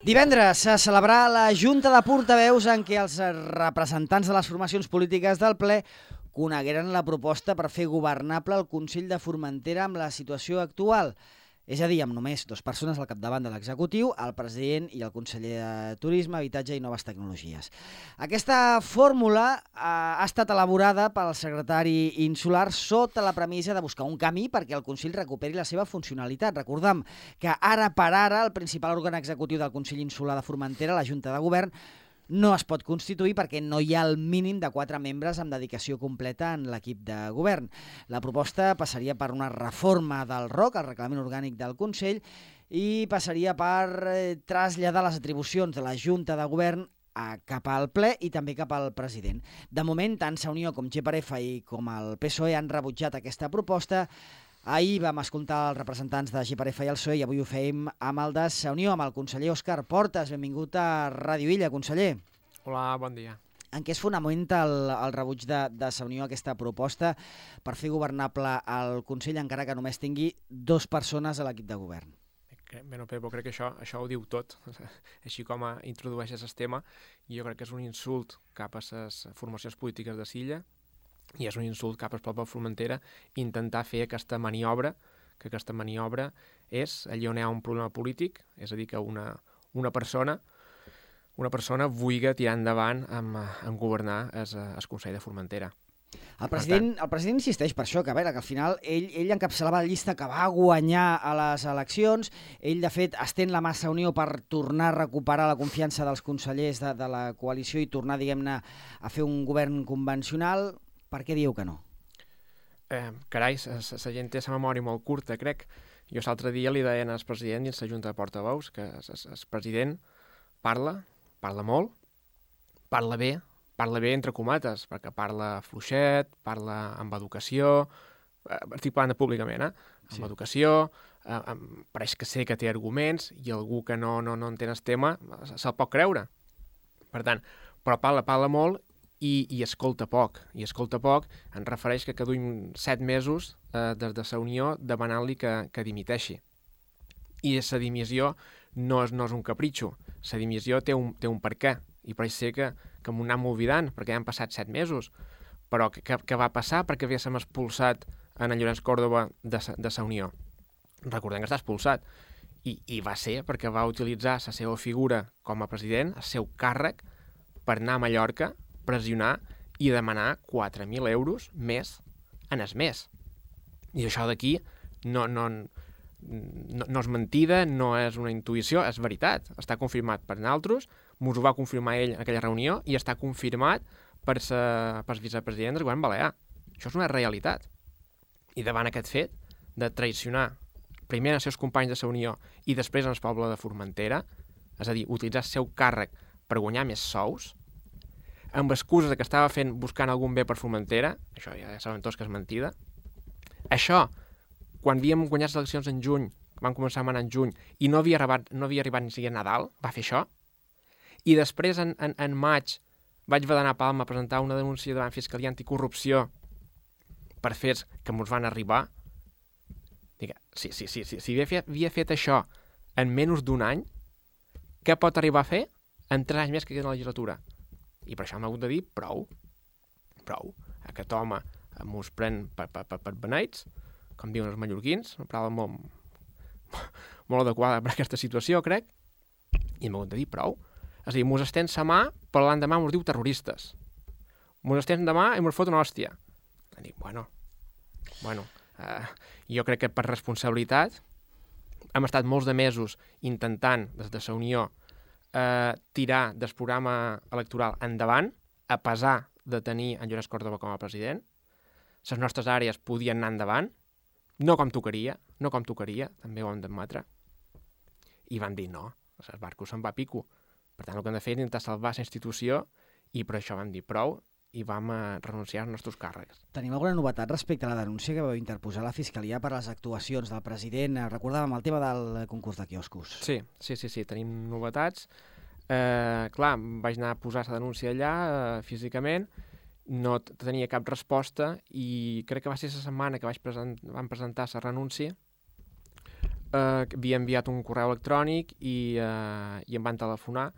Divendres se celebrarà la Junta de Portaveus en què els representants de les formacions polítiques del ple conegueren la proposta per fer governable el Consell de Formentera amb la situació actual. És a dir, amb només 2 persones al capdavant de l'executiu, el president i el conseller de Turisme, Habitatge i Noves Tecnologies. Aquesta fórmula ha estat elaborada pel secretari insular sota la premissa de buscar un camí perquè el Consell recuperi la seva funcionalitat. Recordem que ara per ara el principal òrgan executiu del Consell Insular de Formentera, la Junta de Govern, no es pot constituir perquè no hi ha el mínim de 4 membres amb dedicació completa en l'equip de govern. La proposta passaria per una reforma del ROC, el Reglament Orgànic del Consell, i passaria per traslladar les atribucions de la Junta de Govern cap al ple i també cap al president. De moment, tant Sa Unió com GPRF i com el PSOE han rebutjat aquesta proposta. Ahir vam escoltar els representants de GPRF i el PSOE i avui ho fem amb el de Sa Unió, amb el conseller Òscar Portas. Benvingut a Ràdio Illa, conseller. Hola, bon dia. En què es fonamenta el rebuig de Sa Unió a aquesta proposta per fer governable el Consell encara que només tingui 2 persones a l'equip de govern? Bé, Pepo, crec que això ho diu tot. Així com introdueixes el tema, jo crec que és un insult cap a les formacions polítiques de Silla i és un insult cap al poble de Formentera intentar fer aquesta maniobra, que aquesta maniobra és allà on hi ha un problema polític, és a dir, que una persona vulgui tirar endavant amb governar el Consell de Formentera. El president insisteix per això, que a veure, que al final ell encapçalava la llista que va guanyar a les eleccions, ell de fet estén la mà a Sa Unió per tornar a recuperar la confiança dels consellers de la coalició i tornar, diguem-ne, a fer un govern convencional. Per què diu que no? Carai, la gent té la memòria molt curta, crec. Jo l'altre dia li deien al president dins la Junta de Portaveus que el president parla molt, parla bé entre comates, perquè parla fluixet, parla amb educació, estic parlant públicament, amb educació, pareix que sé que té arguments i algú que no entén el tema se'l pot creure. Per tant, però parla molt i escolta poc. I escolta poc en refereix que duim 7 mesos des de Sa Unió demanant-li que dimiteixi. I la dimissió no és un capritxo. La dimissió té un per què. I pareix ser que m'ho anem oblidant, perquè ja han passat 7 mesos. Però què va passar perquè haguéssim expulsat en Llorenç Còrdova de Sa Unió? Recordem que està expulsat. I va ser perquè va utilitzar la seva figura com a president, el seu càrrec, per anar a Mallorca, pressionar i demanar 4.000 euros més en el mes. I això d'aquí no és mentida, no és una intuïció, és veritat. Està confirmat per nosaltres, ens ho va confirmar ell en aquella reunió i està confirmat per el vicepresident del govern balear. Això és una realitat. I davant aquest fet de traicionar primer els seus companys de Sa Unió i després el poble de Formentera, és a dir, utilitzar el seu càrrec per guanyar més sous, amb excuses que estava buscant algun bé per Formentera, això ja saben tots que és mentida. Això, quan havíem guanyat les eleccions en juny, van començar a manar en juny, i no havia arribat ni siquiera Nadal, va fer això. I després, en maig, vaig haver d'anar a Palma a presentar una denúncia davant Fiscalia Anticorrupció per fets que ens van arribar. Si havia fet això en menys d'1 any, què pot arribar a fer en 3 anys més que queda la legislatura? I per això m'ha hagut de dir prou. Aquest home mos pren per beneits, com diuen els mallorquins, una paraula molt adequada per aquesta situació, crec, i m'ha hagut de dir prou. És a dir, mos estén sa mà, però l'endemà mos diu terroristes. Mos estén demà i mos fot una hòstia. I dic, jo crec que per responsabilitat hem estat molts de mesos intentant, des de Sa Unió, tirar del programa electoral endavant, a pesar de tenir en Llorenç Còrdova com a president. Les nostres àrees podien anar endavant, no com tocaria, també ho hem d'admetre. I van dir no, el barco se'n va a pico. Per tant, el que hem de fer és intentar salvar la institució i per això vam dir prou i vam renunciar als nostres càrrecs. Tenim alguna novetat respecte a la denúncia que vau interposar a la Fiscalia per les actuacions del president? Recordàvem el tema del concurs de quioscos. Sí, tenim novetats. Clar, vaig anar a posar la denúncia allà físicament, no tenia cap resposta i crec que va ser la setmana que vam presentar la renúncia. havia enviat un correu electrònic i em van telefonar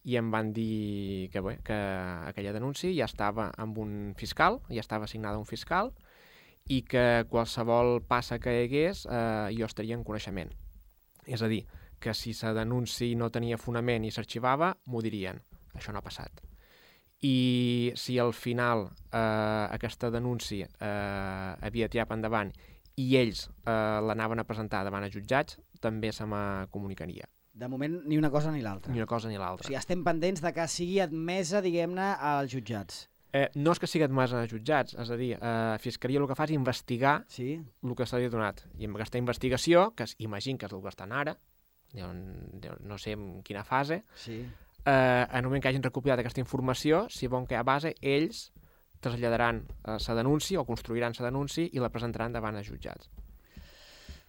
i em van dir que aquella denúncia ja estava amb un fiscal, ja estava assignada a un fiscal i que qualsevol passa que hi hagués jo estaria en coneixement. És a dir, que si la denúncia no tenia fonament i s'arxivava, m'ho dirien. Això no ha passat. I si al final aquesta denúncia havia tirat endavant i ells l'anaven a presentar davant els jutjats, també se me comunicaria. De moment, ni una cosa ni l'altra. Ni una cosa ni l'altra. O sigui, estem pendents de que sigui admesa, diguem-ne, als jutjats. No és que sigui admesa als jutjats, és a dir, Fiscalia el que fa és investigar el que s'ha donat. I amb aquesta investigació, que imagino que és el que estan ara, no sé en quina fase, en el moment que hagin recopilat aquesta informació, si volen que hi ha base, ells traslladaran la denúncia o construiran la denúncia i la presentaran davant els jutjats.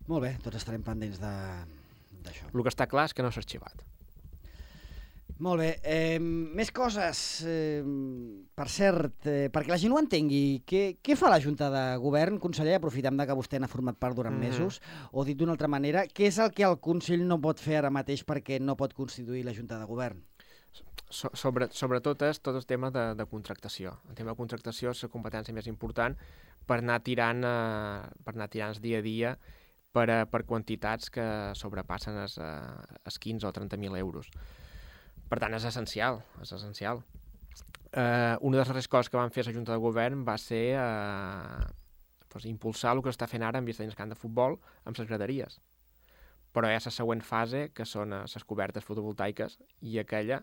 Molt bé, tots estarem pendents d'això. El que està clar és que no s'ha arxivat. Molt bé. Més coses. Per cert, perquè la gent ho entengui, què fa la Junta de Govern, conseller, aprofitant que vostè n'ha format part durant mesos, o dit d'una altra manera, què és el que el Consell no pot fer ara mateix perquè no pot constituir la Junta de Govern? Sobretot és tot el tema de contractació. El tema de contractació és la competència més important per anar tirant dia a dia per quantitats que sobrepassen els 15 o 30.000 euros. Per tant, és essencial. Una de les darreres coses que van fer la Junta de Govern va ser impulsar el que està fent ara en vista d'un camp de futbol amb les graderies. Però hi ha la següent fase, que són les cobertes fotovoltaiques, i aquella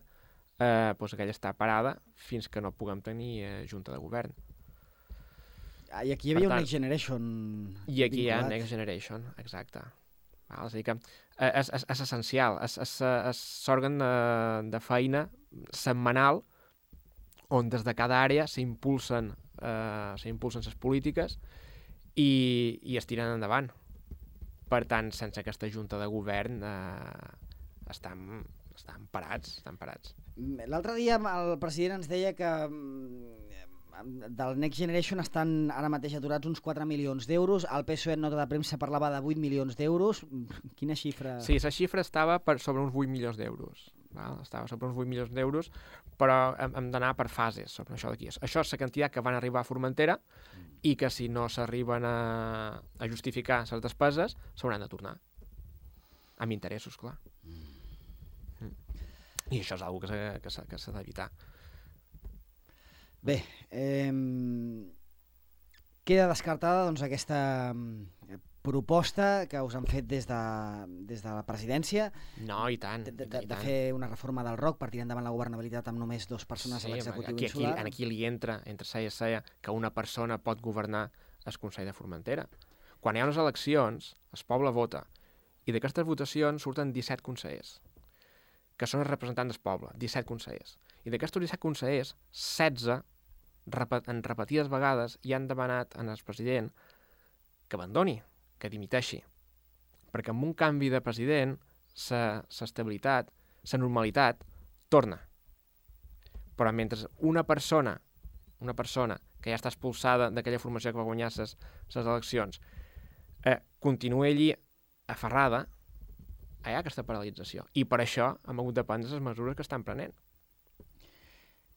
està parada fins que no puguem tenir Junta de Govern. I aquí hi havia un Next Generation. I aquí hi ha Next Generation, exacte. És a dir que és essencial, és l'òrgan de feina setmanal on des de cada àrea s'impulsen les polítiques i es tiren endavant. Per tant, sense aquesta Junta de Govern estan parats. L'altre dia el president ens deia que del Next Generation estan ara mateix aturats uns 4 milions d'euros. El PSOE en nota de premsa parlava de 8 milions d'euros. Quina xifra? Sí, la xifra estava sobre uns 8 milions d'euros. Estava sobre uns 8 milions d'euros, però hem d'anar per fases sobre això d'aquí. Això és la quantitat que van arribar a Formentera i que si no s'arriben a justificar les despeses s'hauran de tornar. Amb interessos, clar. I això és una cosa que s'ha d'evitar. Bé, queda descartada aquesta proposta que us han fet des de la presidència. No, i tant. De fer una reforma del ROC per tirar endavant la governabilitat amb només 2 persones a l'executiu insular. Aquí li entra, entre saia i saia, que una persona pot governar el Consell de Formentera. Quan hi ha unes eleccions, el poble vota, i d'aquestes votacions surten 17 consellers, que són els representants del poble, 17 consellers. I d'aquests 17 consellers, 16 en repetides vegades ja han demanat al president que abandoni, que dimiteixi. Perquè amb un canvi de president, l'estabilitat, la normalitat, torna. Però mentre una persona que ja està expulsada d'aquella formació que va guanyar les eleccions, continua allí aferrada, hi ha aquesta paralització. I per això hem hagut de prendre les mesures que estan prenent.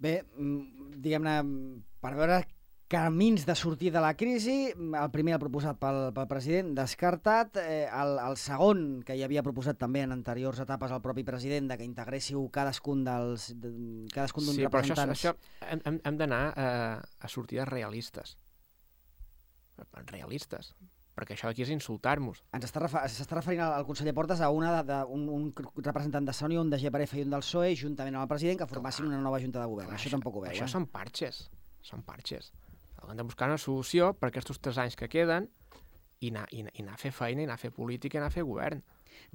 Bé, diguem-ne, per veure camins de sortir de la crisi, el primer el proposat pel president, descartat. El segon, que hi havia proposat també en anteriors etapes el propi president, de que integréssiu cadascun d'un representants. Sí, però això hem d'anar a sortides realistes. Realistes. Perquè això d'aquí és insultar-nos. S'està referint al conseller Portes a un representant de Sony, un de GPRF i un del PSOE, juntament amb el president, que formassin una nova junta de govern. Això tampoc ho veu. Això són parxes. Hem de buscar una solució per aquests 3 anys que queden i anar a fer feina, i anar a fer política, i anar a fer govern.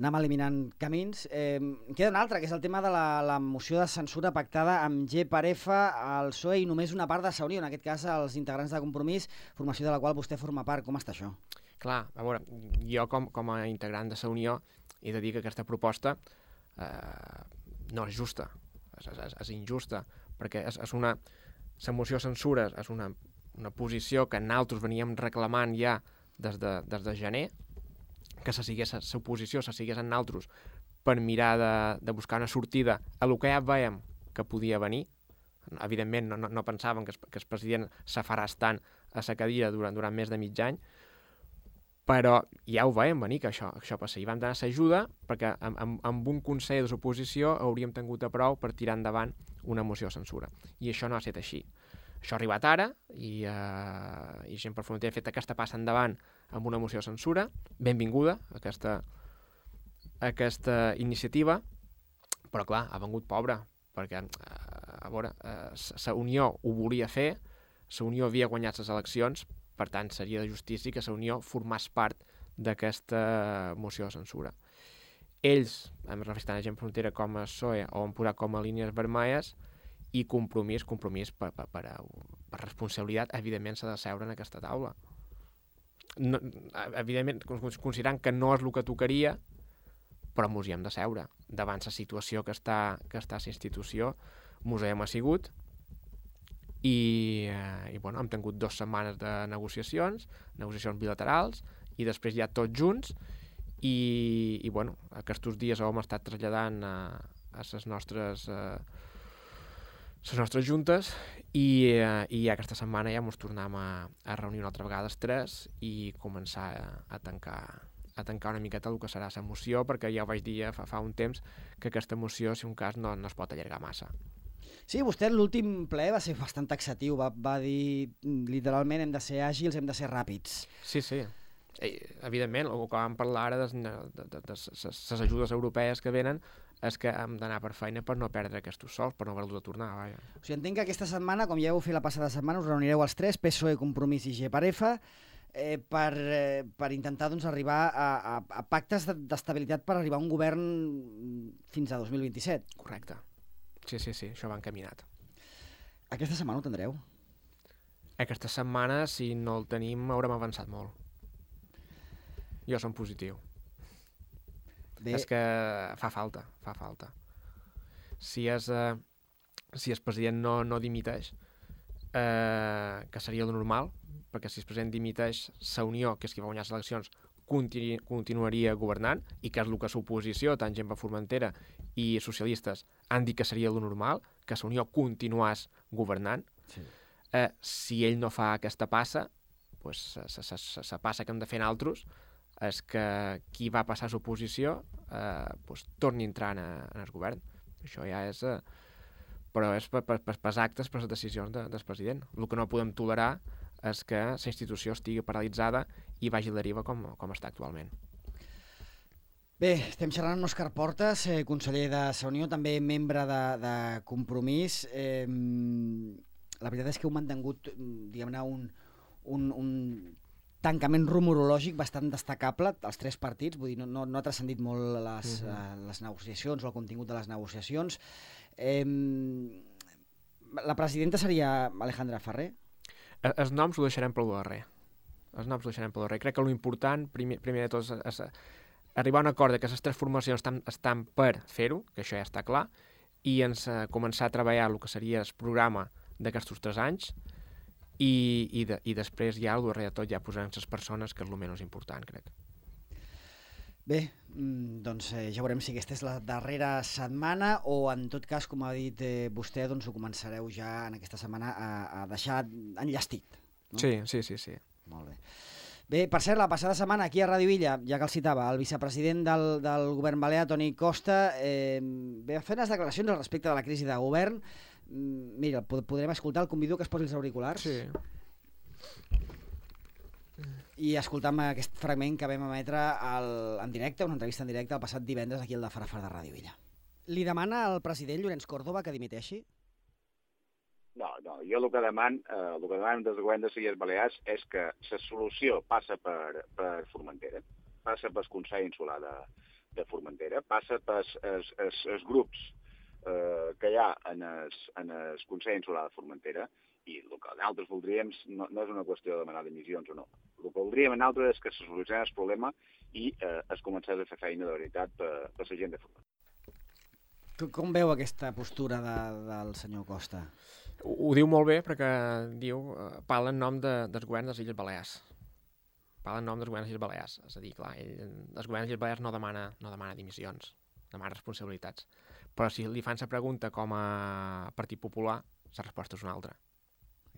Anem eliminant camins. Queda un altre, que és el tema de la moció de censura pactada amb GPRF, el PSOE i només una part de Saunió, en aquest cas els integrants de Compromís, formació de la qual vostè forma part. Com està això? Clar, a veure, jo com a integrant de la Unió he de dir que aquesta proposta no és justa, és injusta, perquè la moció de censura és una posició que nosaltres veníem reclamant ja des de gener, que l'oposició se sigués en altres per mirar de buscar una sortida a el que ja veiem que podia venir. Evidentment, no pensaven que el president s'afaràs tant a la cadira durant més de mig any, però ja ho veiem venir, que això passa. I vam donar l'ajuda perquè amb un consell de l'oposició hauríem tingut a prou per tirar endavant una moció de censura. I això no ha estat així. Això ha arribat ara i Gent per Formentera ha fet aquesta passa endavant amb una moció de censura. Benvinguda aquesta iniciativa, però clar, ha vengut pobra, perquè a veure, la Unió ho volia fer, la Unió havia guanyat les eleccions, per tant seria de justícia que la Unió formés part d'aquesta moció de censura. Ells, em refereixen a Gent per Frontera com a PSOE, ho han posat com a línies vermelles, i compromís per responsabilitat, evidentment s'ha de seure en aquesta taula. No, evidentment, considerant que no és el que tocaria, però mos hi hem de seure. Davant la situació que està a la institució, mos hi hem assigut i bueno, hem tingut 2 setmanes de negociacions bilaterals, i després ja tots junts, i bueno, aquests dies ho hem estat traslladant a les nostres juntes i aquesta setmana ja ens tornem a reunir una altra vegada els 3 i començar a tancar una miqueta el que serà la moció, perquè ja ho vaig dir fa un temps que aquesta moció, si un cas, no es pot allargar massa. Sí, vostè l'últim ple va ser bastant taxatiu, va dir literalment hem de ser àgils, hem de ser ràpids. Sí. Evidentment, el que vam parlar ara de les ajudes europees que venen és que hem d'anar per feina per no perdre aquests sols, per no haver-los de tornar. Vaja. O sigui, entenc que aquesta setmana, com ja heu fet la passada setmana, us reunireu els 3, PSOE, Compromís i GPRF, per intentar arribar a pactes d'estabilitat per arribar a un govern fins a 2027. Correcte. Sí, això va encaminat. Aquesta setmana ho tindreu? Aquesta setmana, si no el tenim, haurem avançat molt. Jo som positiu. Bé. És que fa falta. Si el president no dimiteix, que seria el normal, perquè si el president dimiteix, la Unió, que és qui va guanyar les eleccions, continuaria governant, i que és el que l'oposició, tant Gent per Formentera i socialistes, han dit que seria el normal, que la Unió continués governant. Sí. Si ell no fa aquesta passa, pues, la passa que hem de fer nosaltres és que qui va passar a l'oposició torni a entrar en el govern. Això ja és... però és per actes, per les decisions del president. El que no podem tolerar és que la institució estigui paralitzada i vagi a la deriva com està actualment. Bé, estem xerrant amb Òscar Portas, conseller de la Unió, també membre de Compromís. La veritat és que heu mantingut, diguem-ne, un tancament rumorològic bastant destacable, els 3 partits, vull dir, no ha transcendit molt les negociacions o el contingut de les negociacions. La presidenta seria Alejandra Ferrer? Els noms ho deixarem pel darrer. Crec que l'important, primer de tot, és arribar a un acord que les 3 formacions estan per fer-ho, que això ja està clar, i començar a treballar el que seria el programa d'aquests 3 anys, i després ja, al darrere de tot, ja posarem les persones, que és el menys important, crec. Bé, doncs ja veurem si aquesta és la darrera setmana o, en tot cas, com ha dit vostè, doncs ho començareu ja en aquesta setmana a deixar enllestit. No? Sí. Molt bé. Bé, per cert, la passada setmana aquí a Ràdio Illa, ja que el citava, el vicepresident del govern balear, Toni Costa, va fer unes declaracions al respecte de la crisi de govern. Mira, podrem escoltar, el convido que es posi els auriculars. Sí. I escoltam aquest fragment que vam emetre en directe, una entrevista en directe el passat divendres aquí al de Farafar de Ràdio Illa. Li demana al president Llorenç Córdoba que dimiteixi? No, jo el que demano des del govern de les Illes Balears és que la solució passa per Formentera, passa pel Consell Insular de Formentera, passa pels grups que hi ha en el Consell Insular de Formentera, i el que nosaltres voldríem no és una qüestió de demanar dimissions o no. El que voldríem nosaltres és que se solucionés el problema i es comencés a fer feina de veritat per la gent de Formentera. Com veu aquesta postura del senyor Costa? Ho diu molt bé perquè diu, parla en nom del govern de les Illes Balears. parla en nom dels governs de les Balears. És a dir, clar, els governs de les Balears no demana dimissions, demana responsabilitats. Però si li fan la pregunta com a Partit Popular, la resposta és una altra.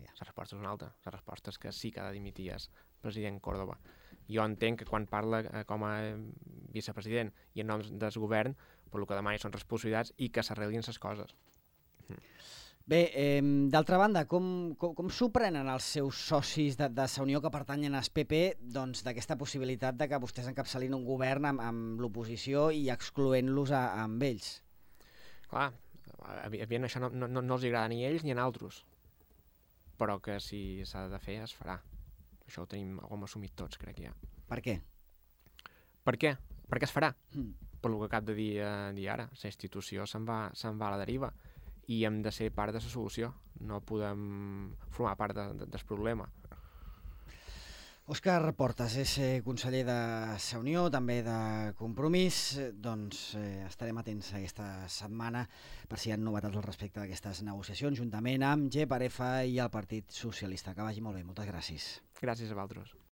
La resposta és una altra. La resposta és que sí que ha de dimitir el president Córdoba. Jo entenc que quan parla com a vicepresident i en nom del govern, per el que demani són responsabilitats i que s'arreglin les coses. Bé, d'altra banda, com s'ho prenen els seus socis de Sa Unió que pertanyen al PP doncs, d'aquesta possibilitat de que vostès encapçalin un govern amb l'oposició i excloent-los amb ells? Clar, evidentment això no els agrada ni a ells ni a altres, però que si s'ha de fer es farà. Això ho tenim assumit tots, crec ja. Per què? Per què? Perquè es farà. Per el que acabo de dir ara, la institució se'n va a la deriva i hem de ser part de la solució, no podem formar part del problema. Òscar Portas és conseller de Sa Unió, també de Compromís. Doncs estarem atents aquesta setmana per si hi ha novetats al respecte d'aquestes negociacions, juntament amb G per F i el Partit Socialista. Que vagi molt bé, moltes gràcies. Gràcies a vosaltres.